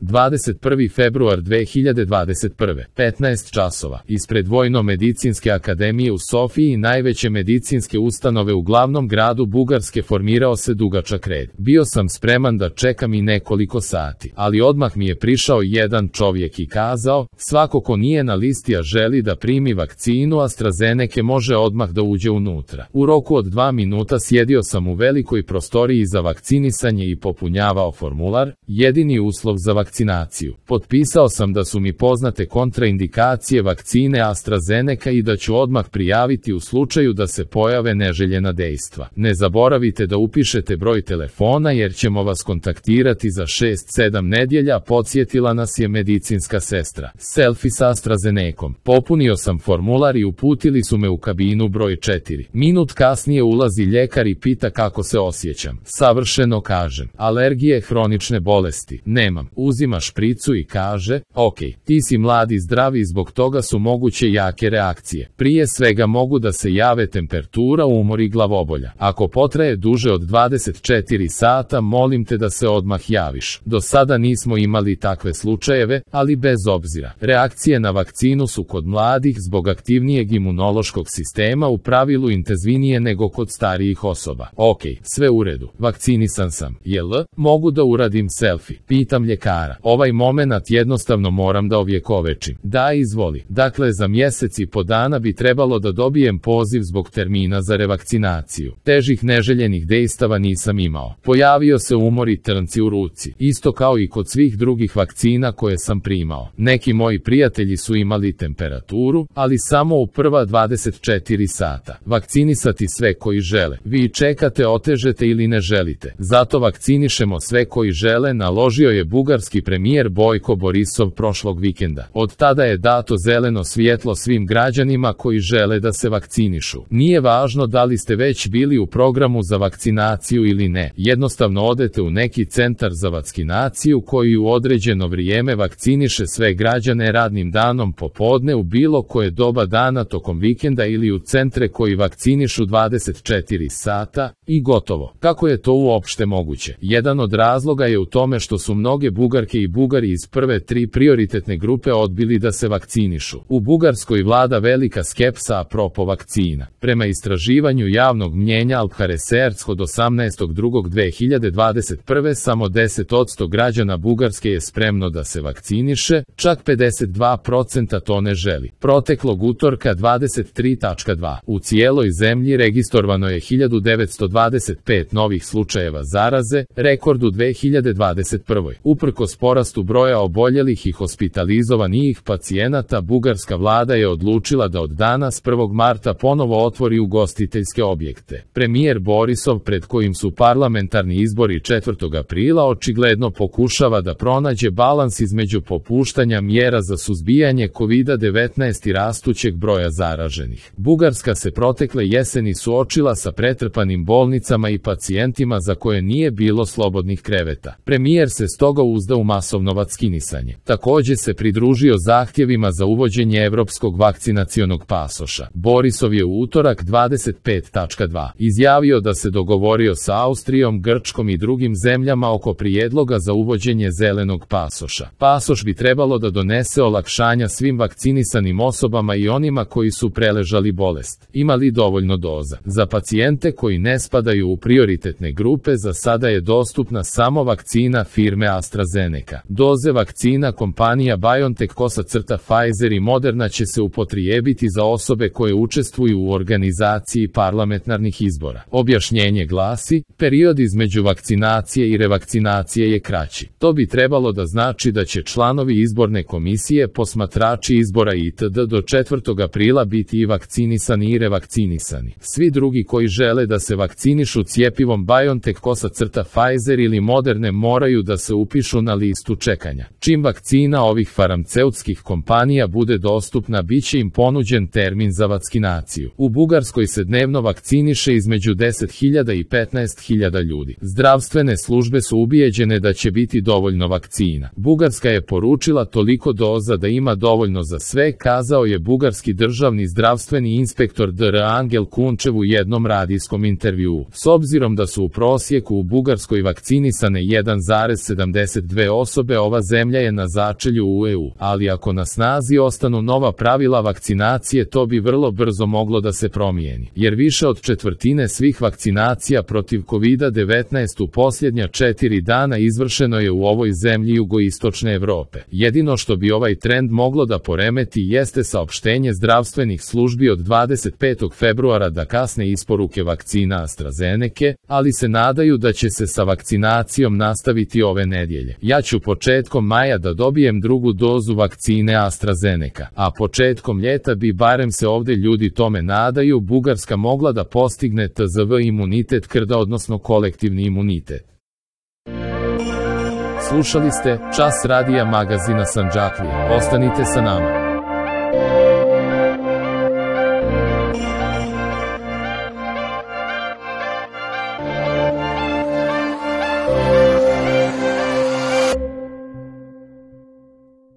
21. februar 2021. 15 časova. Ispred Vojno-medicinske akademije u Sofiji, najveće medicinske ustanove u glavnom gradu Bugarske, formirao se dugačak red. Bio sam spreman da čekam i nekoliko sati, ali odmah mi je prišao jedan čovjek i kazao, svako ko nije na listi a želi da primi vakcinu AstraZeneca može odmah da uđe unutra. U roku od 2 minuta sjedio sam u velikoj prostoriji za vakcinisanje i popunjavao formular, jedini uslov za vakcinaciju. Potpisao sam da su mi poznate kontraindikacije vakcine AstraZeneca i da ću odmah prijaviti u slučaju da se pojave neželjena dejstva. Ne zaboravite da upišete broj telefona jer ćemo vas kontaktirati za 6-7 nedjelja, podsjetila nas je medicinska sestra. Selfie sa AstraZenecom. Popunio sam formular i uputili su me u kabinu broj 4. Minut kasnije ulazi ljekar i pita kako se osjećam. Savršeno, kažem. Alergije, hronične bolesti. Nemam. Uzima špricu i kaže, ok, ti si mlad i zdrav i zbog toga su moguće jake reakcije. Prije svega mogu da se jave temperatura, umor i glavobolja. Ako potraje duže od 24 sata, molim te da se odmah javiš. Do sada nismo imali takve slučajeve, ali bez obzira. Reakcije na vakcinu su kod mladih zbog aktivnijeg imunološkog sistema u pravilu intenzivnije nego kod starijih osoba. Ok, sve u redu. Vakcinisan sam. Jel? Mogu da uradim selfie? Pitam ljekara. Ovaj momenat jednostavno moram da ovjekovečim. Da, izvoli. Dakle, za mjesec i po dana bi trebalo da dobijem poziv zbog termina za revakcinaciju. Težih neželjenih dejstava nisam imao. Pojavio se umor i trnci u ruci. Isto kao i kod svih drugih vakcina koje sam primao. Neki moji prijatelji su imali temperaturu, ali samo u prva 24 sata. Vakcinisati sve koji žele. Vi čekate, otežete ili ne želite. Zato vakcinišemo sve koji žele, naložio je bugarski premijer Bojko Borisov prošlog vikenda. Od tada je dato zeleno svjetlo svim građanima koji žele da se vakcinišu. Nije važno da li ste već bili u programu za vakcinaciju ili ne. Jednostavno odete u neki centar za vakcinaciju koji u određeno vrijeme vakciniše sve građane radnim danom popodne u bilo koje doba dana tokom vikenda ili u centre koji vakcinišu 24 sata i gotovo. Kako je to uopšte moguće? Jedan od razloga je u tome što su mnoge Bugarke i Bugari iz prve 3 prioritetne grupe odbili da se vakcinišu. U Bugarskoj vlada velika skepsa apropo vakcina. Prema istraživanju javnog mnjenja Alpha Research od 18.2.2021. samo 10% građana Bugarske je spremno da se vakciniše, čak 52% to ne želi. Proteklog utorka 23.2. u cijeloj zemlji registrovano je 1925 novih slučajeva zaraze, rekord u 2021. Uprkos porastu broja oboljelih i hospitalizovanih pacijenata, bugarska vlada je odlučila da od danas 1. marta ponovo otvori ugostiteljske objekte. Premijer Borisov, pred kojim su parlamentarni izbori 4. aprila, očigledno pokušava da pronađe balans između popuštanja mjera za suzbijanje COVID-19 i rastućeg broja zaraženih. Bugarska se protekle jeseni suočila sa pretrpanim bolnicama i pacijentima za koje nije bilo slobodnih kreveta. Premijer se stoga uzda u masovno vakcinisanje. Također se pridružio zahtjevima za uvođenje evropskog vakcinacionog pasoša. Borisov je u utorak 25.2. izjavio da se dogovorio sa Austrijom, Grčkom i drugim zemljama oko prijedloga za uvođenje zelenog pasoša. Pasoš bi trebalo da donese olakšanja svim vakcinisanim osobama i onima koji su preležali bolest. Imali dovoljno doza. Za pacijente koji ne spadaju u prioritetne grupe za sada je dostupna samo vakcina firme AstraZeneca. Doze vakcina kompanija BioNTech, Pfizer i Moderna će se upotrijebiti za osobe koje učestvuju u organizaciji parlamentarnih izbora. Objašnjenje glasi, period između vakcinacije i revakcinacije je kraći. To bi trebalo da znači da će članovi izborne komisije, posmatrači izbora itd. do 4. aprila biti i vakcinisani i revakcinisani. Svi drugi koji žele da se vakcinišu cjepivom BioNTech, Pfizer ili Moderne moraju da se upišu na listu čekanja. Čim vakcina ovih farmaceutskih kompanija bude dostupna, bit će im ponuđen termin za vakcinaciju. U Bugarskoj se dnevno vakciniše između 10.000 i 15.000 ljudi. Zdravstvene službe su ubijeđene da će biti dovoljno vakcina. Bugarska je poručila toliko doza da ima dovoljno za sve, kazao je bugarski državni zdravstveni inspektor Dr. Angel Kunčev u jednom radijskom intervjuu. S obzirom da su u prosjeku u Bugarskoj vakcinisane 1,72 osobe ova zemlja je na začelju u EU, ali ako na snazi ostanu nova pravila vakcinacije to bi vrlo brzo moglo da se promijeni, jer više od četvrtine svih vakcinacija protiv COVID-19 u posljednja 4 dana izvršeno je u ovoj zemlji jugoistočne Evrope. Jedino što bi ovaj trend moglo da poremeti jeste saopštenje zdravstvenih službi od 25. februara da kasne isporuke vakcina AstraZeneke, ali se nadaju da će se sa vakcinacijom nastaviti ove nedjelje. Ja ću početkom maja da dobijem drugu dozu vakcine AstraZeneka, a početkom ljeta bi, barem se ovdje ljudi tome nadaju, Bugarska mogla da postigne TZV imunitet krda, odnosno kolektivni imunitet. Slušali ste Čas radija magazina Sandžaklija. Ostanite sa nama.